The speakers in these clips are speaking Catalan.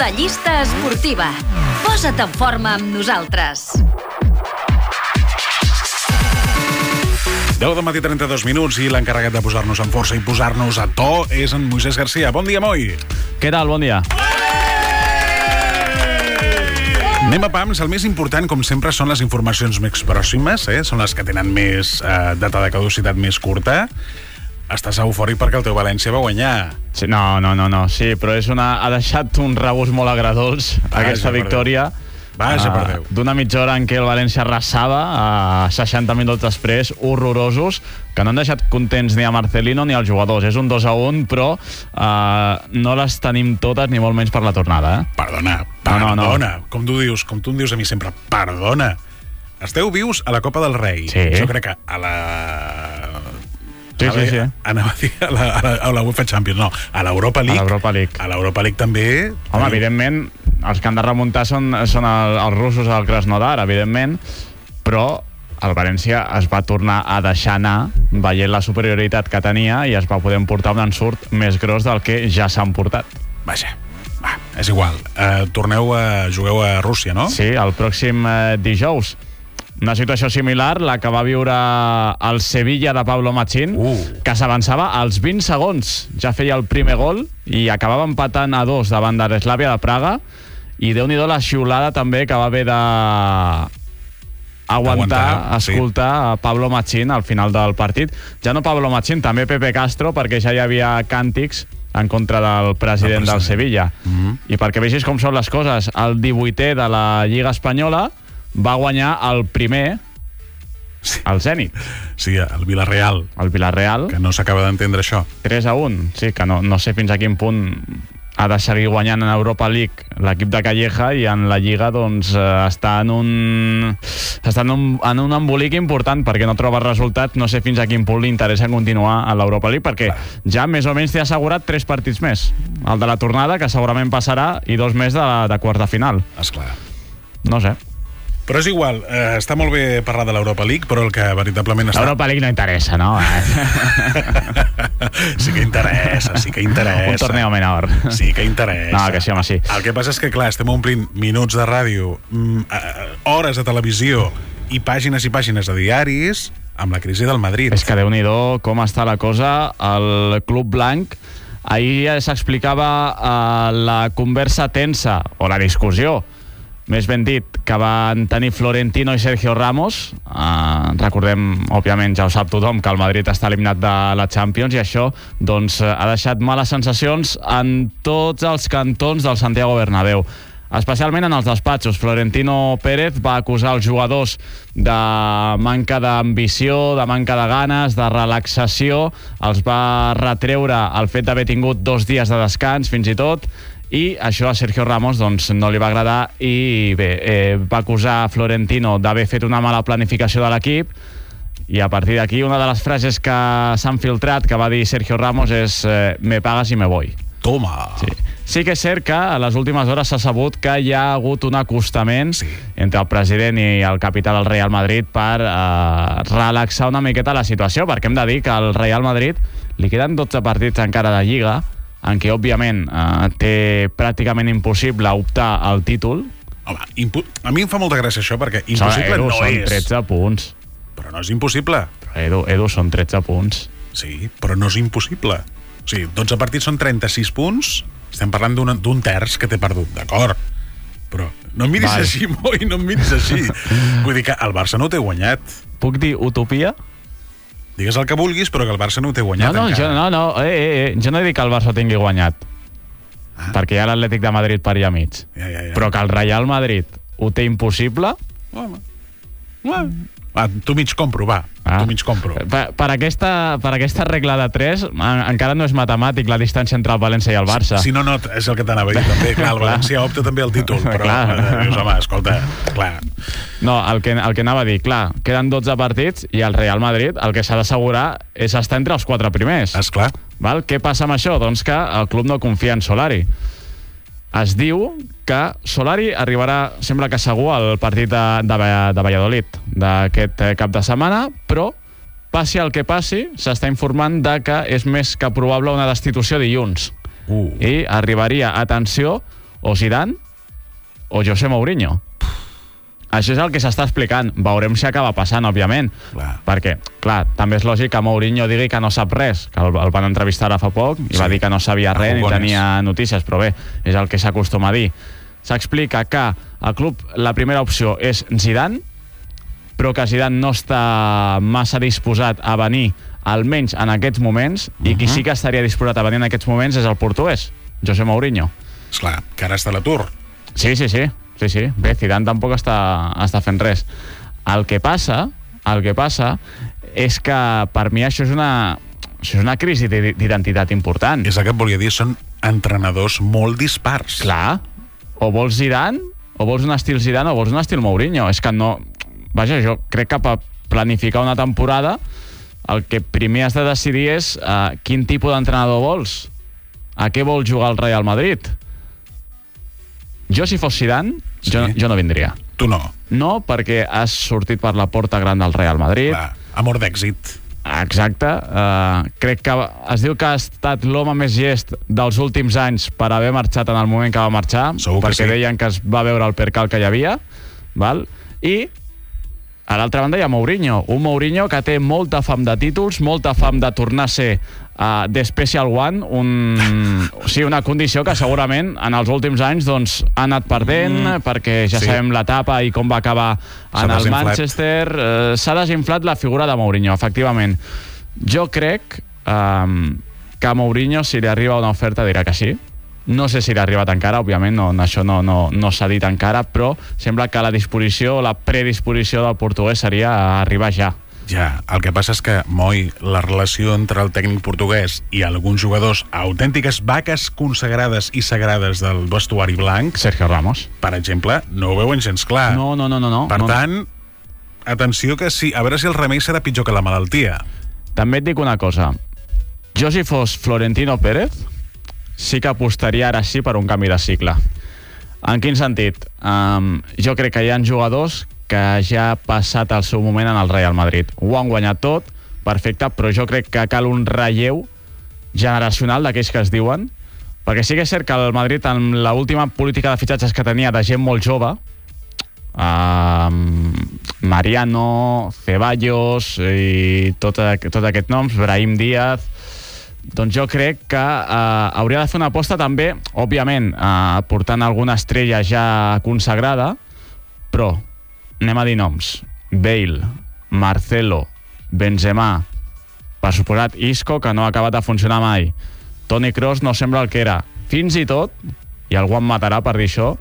La llista esportiva. Posa't en forma amb nosaltres. 10 del matí, 32 minuts, i l'encarregat de posar-nos en força i posar-nos a to és en Moisés Garcia. Bon dia, Moi! Què tal? Bon dia. Anem a pams. El més important, com sempre, són les informacions més pròximes, són les que tenen més data de caducitat més curta. Estàs eufòric perquè el teu València va guanyar. Sí, no. Sí, però ha deixat un regust molt agradolç aquesta victòria. Vaja, per Déu. D'una mitja hora en què el València arrasava, a 60 minuts després, horrorosos, que no han deixat contents ni a Marcelino ni als jugadors. És un 2-1, però no les tenim totes, ni molt menys per la tornada. Perdona. No. Com tu em dius a mi sempre, perdona. Esteu vius a la Copa del Rei. Sí. Jo crec que a la... Sí. Anava a dir a la UEFA Champions, no, a l'Europa League. A l'Europa League també. Home, evidentment, els que han de remuntar són els russos al Krasnodar, evidentment, però el València es va tornar a deixar anar veient la superioritat que tenia i es va poder emportar un ensurt més gros del que ja s'han portat. Vaja, és igual. Jugueu a Rússia, no? Sí, el pròxim dijous. Una situació similar, la que va viure el Sevilla de Pablo Machín, que s'avançava als 20 segons. Ja feia el primer gol i acabava empatant a 2 davant de l'Slavia de Praga. I Déu-n'hi-do la xiulada també que va haver de escoltar a Pablo Machín al final del partit. Ja no Pablo Machín, també Pepe Castro, perquè ja hi havia càntics en contra del president del Sevilla. I perquè vegis com són les coses, el 18è de la Lliga Espanyola va guanyar el primer, el Zenit. Sí, el Villarreal. Que no s'acaba d'entendre això. 3-1, sí, que no sé fins a quin punt ha de seguir guanyant en Europa League l'equip de Calleja, i en la Lliga doncs està en un embolic important perquè no troba resultats. No sé fins a quin punt li interessa continuar a l'Europa League, perquè ja més o menys té assegurat 3 partits més. El de la tornada, que segurament passarà, i 2 més de quarts de final. Esclar. No sé. Però és igual, està molt bé parlar de l'Europa League, però el que veritablement està... L'Europa League no interessa, no? Sí que interessa. Un torneo menor. Sí que interessa. No, que sí, home, sí. El que passa és que, clar, estem omplint minuts de ràdio, hores de televisió i pàgines de diaris amb la crisi del Madrid. És que Déu-n'hi-do com està la cosa. El Club Blanc, ahir s'explicava la conversa tensa, o la discussió, més ben dit, que van tenir Florentino i Sergio Ramos. Recordem, òbviament, ja ho sap tothom, que el Madrid està eliminat de la Champions, i això doncs ha deixat males sensacions en tots els cantons del Santiago Bernabéu, especialment en els despatxos. Florentino Pérez va acusar els jugadors de manca d'ambició, de manca de ganes, de relaxació. Els va retreure el fet d'haver tingut 2 dies de descans, fins i tot, i això a Sergio Ramos doncs no li va agradar, i bé, va acusar Florentino d'haver fet una mala planificació de l'equip. I a partir d'aquí, una de les frases que s'han filtrat que va dir Sergio Ramos és me pagas y me voy. Toma! Sí que és cert que a les últimes hores s'ha sabut que hi ha hagut un acostament entre el president i el capità del Real Madrid per relaxar una miqueta la situació, perquè hem de dir que al Real Madrid li queden 12 partits encara de Lliga, en què, òbviament, té pràcticament impossible optar al títol. Home, a mi em fa molta gràcia això, perquè impossible no és. Són 13 punts. Però no és impossible. Edu, són 13 punts. Sí, però no és impossible. O sigui, 12 partits són 36 punts. Estem parlant d'un terç que té perdut, d'acord? Però no em miris així, Moi, no em miris així. Vull dir que el Barça no ho té guanyat. Puc dir utopia? Digues el que vulguis, però que el Barça no ho té guanyat encara. Jo no he dit que el Barça ho tingui guanyat, perquè hi ha l'Atlètic de Madrid per allà mig. Però que el Real Madrid ho té impossible... Tu mig compro, va. Tu mig compro. Per aquesta regla de 3, encara no és matemàtic la distància entre el València i el Barça. Si no, és el que t'anava a dir també. Clar, el València opta també al títol, però dius, home, escolta, clar. No, el que anava a dir, clar, queden 12 partits i el Real Madrid el que s'ha d'assegurar és estar entre els 4 primers. Esclar. Què passa amb això? Doncs que el club no confia en Solari. Es diu que Solari arribarà, sembla que segur, al partit de Valladolid d'aquest cap de setmana, però passi el que passi, s'està informant de que és més que probable una destitució dilluns. I arribaria, atenció, o Zidane o José Mourinho. Això és el que s'està explicant. Veurem si acaba passant, òbviament. Perquè, clar, també és lògic que Mourinho digui que no sap res, que el van entrevistar ara fa poc i va dir que no sabia res ni tenia notícies, però bé, és el que s'acostuma a dir. S'explica que el club, la primera opció és Zidane, però que Zidane no està massa disposat a venir, almenys en aquests moments, i qui sí que estaria disposat a venir en aquests moments és el portuguès, José Mourinho. Esclar, que ara està a l'atur. Sí. Bé, Zidane tampoc està fent res. El que passa és que per mi això és una crisi d'identitat important. És el que et volia dir, són entrenadors molt dispars. Clar, o vols Zidane, o vols un estil Zidane, o vols un estil Mourinho. És que no... Vaja, jo crec que per planificar una temporada el que primer has de decidir és quin tipus d'entrenador vols. A què vol jugar el Real Madrid? Jo, si fos Zidane, jo no vindria. Tu no? No, perquè has sortit per la porta gran del Real Madrid. Clar, amor d'èxit. Exacte. Crec que es diu que ha estat l'home més llest dels últims anys per haver marxat en el moment que va marxar, perquè deien que es va veure el percal que hi havia, val? I a l'altra banda hi ha Mourinho, un Mourinho que té molta fam de títols, molta fam de tornar a ser The Special One, una condició que segurament en els últims anys doncs, ha anat perdent, perquè ja sabem l'etapa i com va acabar en el Manchester. S'ha desinflat la figura de Mourinho, efectivament. Jo crec que a Mourinho, si li arriba una oferta, dirà que sí. No sé si l'ha arribat encara, òbviament, això no s'ha dit encara, però sembla que la disposició, la predisposició del portuguès seria arribar ja. Ja, el que passa és que, Moi, la relació entre el tècnic portuguès i alguns jugadors, autèntiques vaques consagrades i sagrades del vestuari blanc, Sergio Ramos, per exemple, no ho veuen gens clar. No. Per tant, atenció que sí, a veure si el remei serà pitjor que la malaltia. També et dic una cosa. Jo, si fos Florentino Pérez, sí que apostaria ara sí per un canvi de cicle. En quin sentit? Jo crec que hi ha jugadors que ja ha passat el seu moment en el Real Madrid. Ho han guanyat tot, perfecte, però jo crec que cal un relleu generacional d'aquells que es diuen, perquè sí que és cert que el Madrid, en l'última política de fitxatges que tenia de gent molt jove, Mariano, Ceballos i tot aquests noms, Brahim Díaz, doncs jo crec que hauria de fer una aposta també, òbviament, portant alguna estrella ja consagrada, però anem a dir noms: Bale, Marcelo, Benzema, per suposat Isco, que no ha acabat de funcionar mai, Toni Kroos no sembla el que era, fins i tot, i algú em matarà per dir això,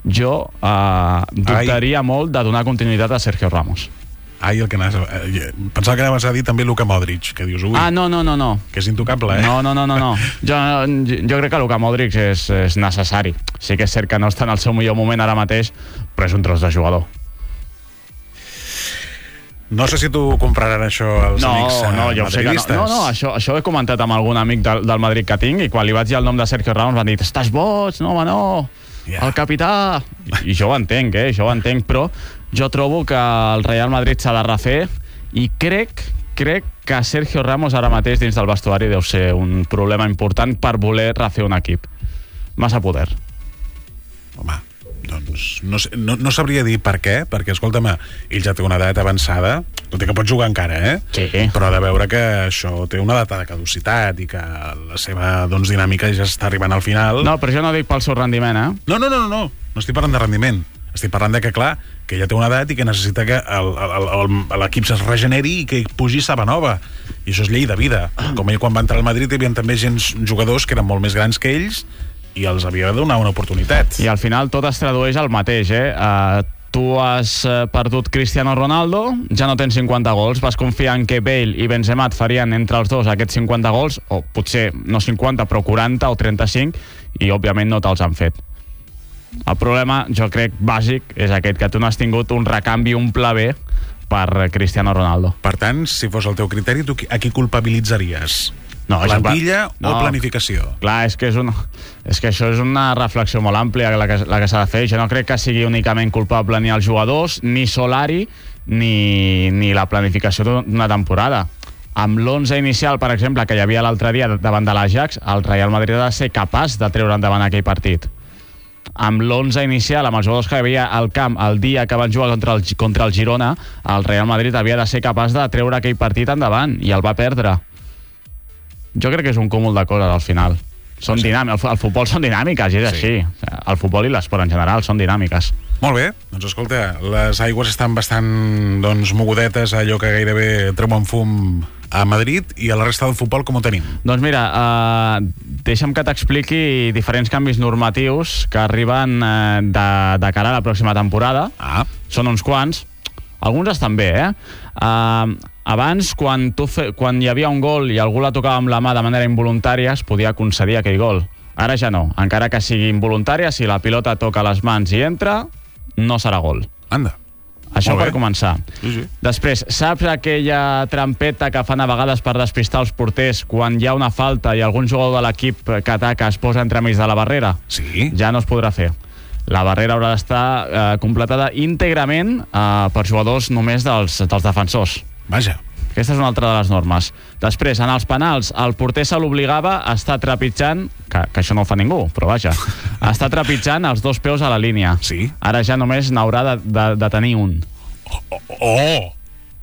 jo dubtaria molt de donar continuïtat a Sergio Ramos. Pensava que anaves a dir també Luka Modric, que dius, ui, no. que és intocable, No. Jo crec que Luka Modric és necessari. Sí que és cert que no està en el seu millor moment ara mateix, però és un tros de jugador. No sé si tu compraran això als amics madridistes. No, això ho he comentat amb algun amic del Madrid que tinc, i quan li vaig dir el nom de Sergio Ramos van dir, estàs boig, no, home, no, el capità. I jo ho entenc, però jo trobo que el Real Madrid s'ha de refer, i crec que Sergio Ramos ara mateix dins del vestuari deu ser un problema important per voler refer un equip. Massa poder. Home, doncs no sabria dir per què, perquè, escolta'm, ell ja té una edat avançada, tot i que pot jugar encara, Sí. Però de veure que això té una data de caducitat i que la seva dinàmica ja està arribant al final. No, però jo no dic pel seu rendiment, No estic parlant de rendiment. Estic parlant de que, clar, que ja té una edat i que necessita que l'equip es regeneri i que pugi saba nova. I això és llei de vida. Com ell, quan va entrar al Madrid, hi havia també jugadors que eren molt més grans que ells i els havia de donar una oportunitat. I al final tot es tradueix al mateix, tu has perdut Cristiano Ronaldo, ja no tens 50 gols, vas confiar en que Bale i Benzema et farien entre els dos aquests 50 gols, o potser no 50, però 40 o 35, i òbviament no te'ls han fet. El problema, jo crec, bàsic, és aquest, que tu no has tingut un recanvi, un pla B per Cristiano Ronaldo. Per tant, si fos el teu criteri, tu a qui culpabilitzaries? No, plantilla o planificació? Clar, és que això és una reflexió molt àmplia la que s'ha de fer. Jo no crec que sigui únicament culpable ni els jugadors, ni Solari, ni la planificació d'una temporada. Amb l'11 inicial, per exemple, que hi havia l'altre dia davant de l'Ajax, el Real Madrid ha de ser capaç de treure endavant aquell partit. amb l'11 inicial, amb els jugadors que hi havia al camp el dia que van jugar contra el Girona, el Real Madrid havia de ser capaç de treure aquell partit endavant, i el va perdre. Jo crec que és un cúmul de coses al final. Són dinàmiques, el futbol són dinàmiques, i és així. El futbol i l'esport en general són dinàmiques. Molt bé, doncs escolta, les aigües estan bastant mogudetes, allò que gairebé treuen fum a Madrid, i a la resta del futbol com ho tenim? Doncs mira, deixa'm que t'expliqui diferents canvis normatius que arriben de cara a la pròxima temporada. Són uns quants, alguns estan bé, abans, quan hi havia un gol i algú la tocava amb la mà de manera involuntària, es podia concedir aquell gol. Ara ja no, encara que sigui involuntària, si la pilota toca les mans i entra, no serà gol. Anda. Això per començar. Sí. Després, saps aquella trampeta que fan a vegades per despistar els porters quan hi ha una falta i algun jugador de l'equip que ataca es posa entremig de la barrera? Sí. Ja no es podrà fer. La barrera haurà d'estar completada íntegrament per jugadors només dels defensors. Vaja. Aquesta és una altra de les normes. Després, en els penals, el porter se l'obligava a estar trepitjant, que això no ho fa ningú, però vaja, a estar trepitjant els dos peus a la línia. Sí. Ara ja només n'haurà de tenir un. Oh!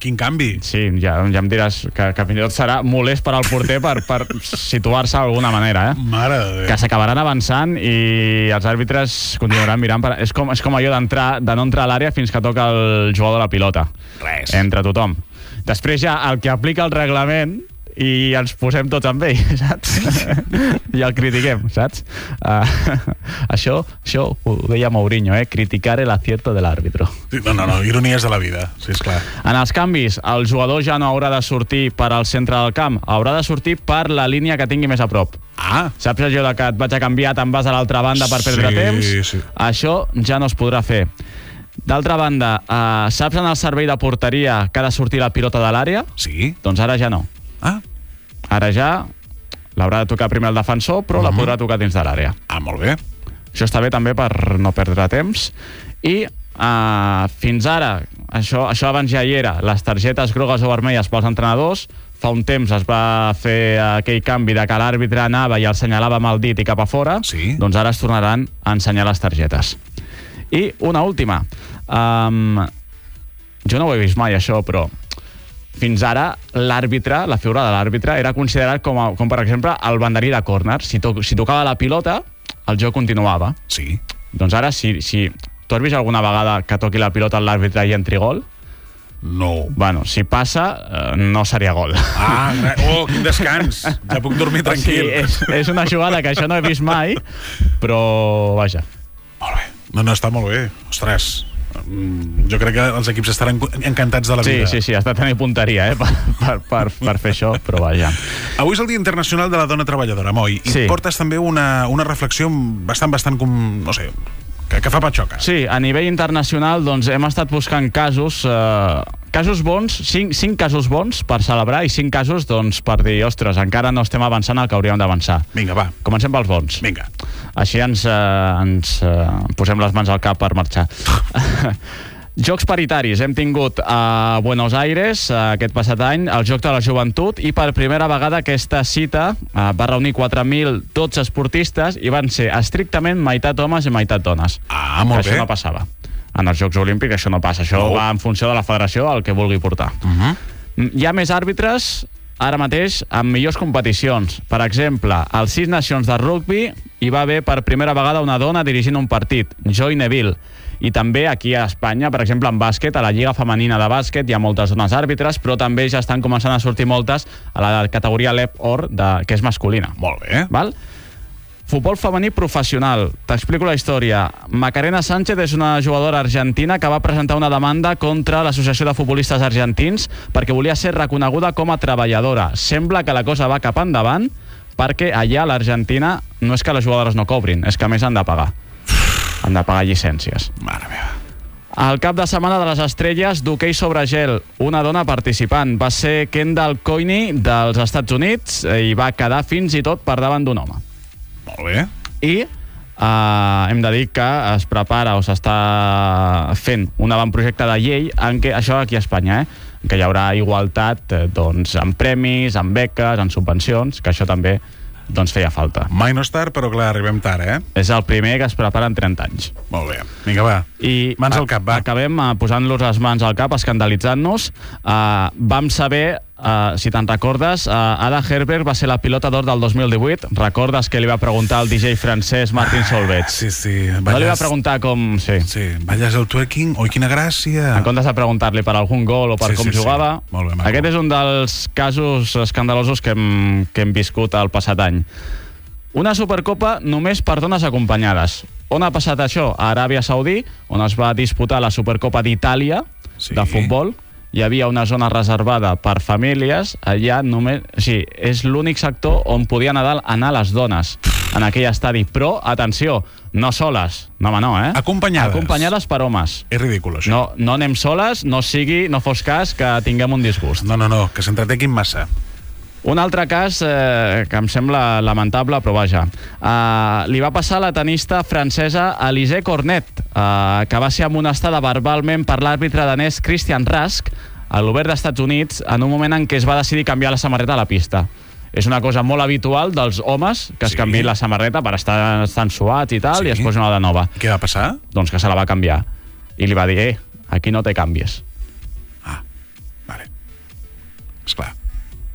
Quin canvi! Sí, ja em diràs que fins i tot serà molest per al porter per situar-se d'alguna manera, Mare de Déu. Que s'acabaran avançant i els àrbitres continuaran mirant. És com allò de no entrar a l'àrea fins que toca el jugador de la pilota. Res. Entre tothom. Després ja el que aplica el reglament i ens posem tots amb ell, saps? I el critiquem, saps? Això ho deia Mourinho, criticar el acierto de l'àrbitro. No, ironies de la vida, sí, esclar. En els canvis, el jugador ja no haurà de sortir per al centre del camp, haurà de sortir per la línia que tingui més a prop. Saps allò que et vaig a canviar, te'n vas a l'altra banda per perdre temps? Sí. Això ja no es podrà fer. D'altra banda, saps en el servei de porteria que ha de sortir la pilota de l'àrea? Sí. Doncs ara ja no. Ara ja l'haurà de tocar primer el defensor, però la podrà tocar dins de l'àrea. Molt bé. Això està bé també per no perdre temps. I fins ara, això abans ja hi era, les targetes grogues o vermelles pels entrenadors. Fa un temps es va fer aquell canvi de que l'àrbitre anava i el senyalava amb el dit i cap a fora. Sí. Doncs ara es tornaran a ensenyar les targetes. I una última. Jo no ho he vist mai, això, però fins ara l'àrbitre, la figura de l'àrbitre, era considerat com per exemple, el banderí de córner. Si tocava la pilota, el joc continuava. Sí. Doncs ara, si tu has vist alguna vegada que toqui la pilota a l'àrbitre i entri gol? No. Bueno, si passa, no seria gol. Quin descans. Ja puc dormir tranquil. Sí, és una jugada que això no he vist mai, però vaja. Molt bé. No, està molt bé. Ostres, jo crec que els equips estaran encantats de la vida. Sí, has de tenir punteria per fer això, però vaja. Avui és el Dia Internacional de la Dona Treballadora, Moi, i portes també una reflexió bastant no sé, que fa patxoca. Sí, a nivell internacional doncs, hem estat buscant casos bons, 5 casos bons per celebrar i 5 casos doncs, per dir, ostres, encara no estem avançant el que hauríem d'avançar. Vinga, va. Comencem pels bons. Vinga. Així ens posem les mans al cap per marxar. Jocs paritaris. Hem tingut a Buenos Aires aquest passat any el Joc de la Joventut i per primera vegada aquesta cita va reunir 4.012 esportistes i van ser estrictament meitat homes i meitat dones. Molt bé. Això no passava. En els Jocs Olímpics això no passa. Això va en funció de la federació, el que vulgui portar. Hi ha més àrbitres ara mateix amb millors competicions. Per exemple, als 6 Nacions de rugby hi va haver per primera vegada una dona dirigint un partit, Joy Neville. I també aquí a Espanya, per exemple, en bàsquet, a la Lliga Femenina de Bàsquet hi ha moltes dones àrbitres, però també ja estan començant a sortir moltes a la categoria LEP Or, que és masculina. Molt bé. Val? Futbol femení professional. T'explico la història. Macarena Sánchez és una jugadora argentina que va presentar una demanda contra l'Associació de Futbolistes Argentins perquè volia ser reconeguda com a treballadora. Sembla que la cosa va cap endavant perquè allà a l'Argentina no és que les jugadores no cobrin, és que a més han de pagar. Han de pagar llicències. Mare meva. Al cap de setmana de les estrelles d'hoquei sobre gel, una dona participant va ser Kendall Coyne dels Estats Units i va quedar fins i tot per davant d'un home. Molt bé. I hem de dir que es prepara o s'està fent un avantprojecte de llei en què, això aquí a Espanya, que hi haurà igualtat doncs, en premis, en beques, en subvencions, que això també doncs feia falta. Mai no és tard, però clar, arribem tard, eh? És el primer que es prepara en 30 anys. Molt bé. Vinga, va. I mans al cap, va. Acabem posant-los les mans al cap, escandalitzant-nos. Vam saber, si te'n recordes, Ada Herzberg va ser la pilota d'or del 2018. Recordes que li va preguntar al DJ francès Martin Solveig? Sí. No li va preguntar com... Sí, balles el twerking? Oi, quina gràcia! En comptes de preguntar-li per algun gol o per com jugava. Molt bé, aquest és un dels casos escandalosos que hem viscut el passat any. Una Supercopa només per dones acompanyades. On ha passat això? A Aràbia Saudí, on es va disputar la Supercopa d'Itàlia de futbol. Hi havia una zona reservada per famílies. Allà només... Sí, és l'únic sector on podien anar les dones en aquell estadi. Però, atenció, no soles. No, home, no, eh? Acompanyades. Acompanyades per homes. És ridícul, això. No anem soles, no fos cas que tinguem un disgust. No, que s'entretequin massa. Un altre cas que em sembla lamentable, però vaja. Li va passar a la tenista francesa Alizé Cornet, que va ser amonestada verbalment per l'àrbitre danès Christian Rask a l'Obert d'Estats Units en un moment en què es va decidir canviar la samarreta a la pista. És una cosa molt habitual dels homes que es canviïn la samarreta per estar suats i tal, i es posin una de nova. Què va passar? Doncs que se la va canviar. I li va dir, aquí no te canvies. Vale. Esclar.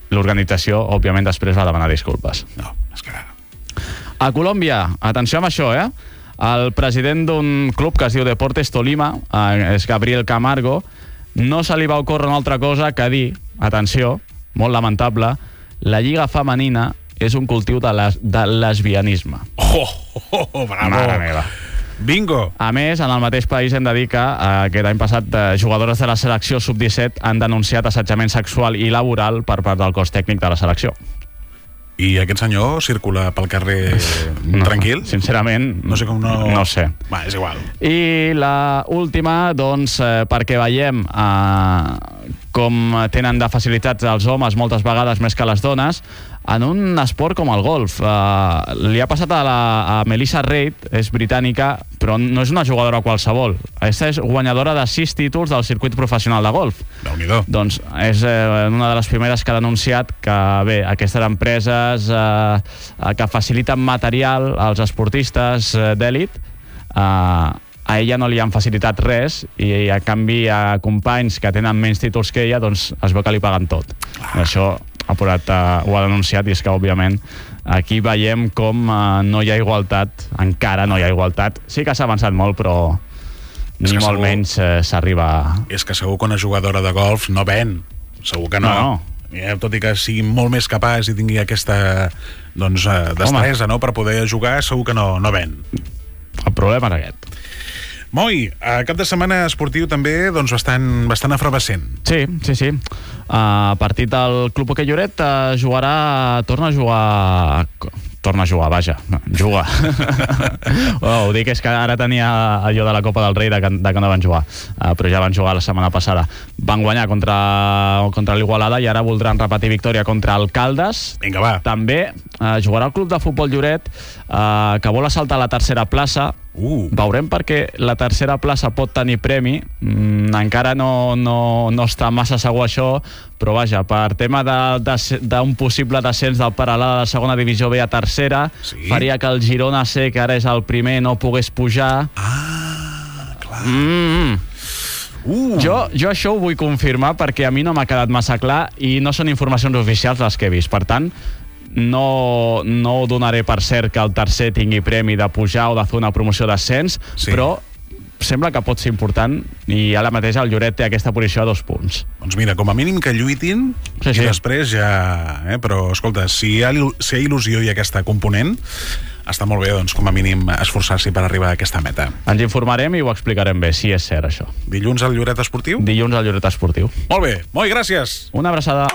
L'organització, òbviament, després va demanar disculpes. No, és clar. A Colòmbia, atenció amb això, el president d'un club que es diu Deportes Tolima, és Gabriel Camargo, no se li va ocórrer una altra cosa que dir, atenció, molt lamentable, la lliga femenina és un cultiu de lesbianisme. Bravo! Mare meva. Bingo! A més, en el mateix país hem de dir que aquest any passat jugadores de la selecció sub-17 han denunciat assetjament sexual i laboral per part del cos tècnic de la selecció. I aquest senyor circula pel carrer tranquil? Sincerament, no sé com no sé. Va, és igual. I la última, doncs, perquè veiem com tenen de facilitats els homes moltes vegades més que les dones, en un esport com el golf. Li ha passat a Melissa Reid, és britànica, però no és una jugadora qualsevol. Aquesta és guanyadora de 6 títols del circuit professional de golf. Déu-n'hi-do. Doncs és una de les primeres que ha denunciat que, bé, aquestes empreses que faciliten material als esportistes d'èlit, a ella no li han facilitat res i a canvi a companys que tenen menys títols que ella, doncs es veu que li paguen tot. Això ho ha denunciat, i és que, òbviament, aquí veiem com no hi ha igualtat, encara no hi ha igualtat. Sí que s'ha avançat molt, però ni molt menys s'arriba... És que segur que una jugadora de golf no ven, segur que no. Tot i que sigui molt més capaç i tingui aquesta destresa, no?, per poder jugar, segur que no ven. El problema és aquest. Moi, cap de setmana esportiu també bastant efervescent. Sí. Partit del Club Hoquei Lloret torna a jugar, vaja, juga. Ho dic, és que ara tenia allò de la Copa del Rei de que no van jugar, però ja van jugar la setmana passada. Van guanyar contra l'Igualada i ara voldran repetir victòria contra el Caldes. Vinga, va. També jugarà el Club de Futbol Lloret, que vol assaltar la tercera plaça. Veurem perquè la tercera plaça pot tenir premi. Encara no està massa segur això, però vaja, per tema d'un possible descens del Peralada de segona divisió B a tercera, faria que el Girona C, que ara és el primer, no pogués pujar. Clar. Jo això ho vull confirmar perquè a mi no m'ha quedat massa clar i no són informacions oficials les que he vist. Per tant, no donaré per cert que el tercer tingui premi de pujar o de fer una promoció d'ascens, però sembla que pot ser important i ara mateix el Lloret té aquesta posició a 2 punts. Doncs mira, com a mínim que lluitin i després ja... Però, escolta, si hi ha il·lusió i aquesta component, està molt bé, doncs, com a mínim, esforçar-s'hi per arribar a aquesta meta. Ens informarem i ho explicarem bé, si és cert, això. Dilluns al Lloret Esportiu? Dilluns al Lloret Esportiu. Molt bé. Moi, gràcies. Una abraçada.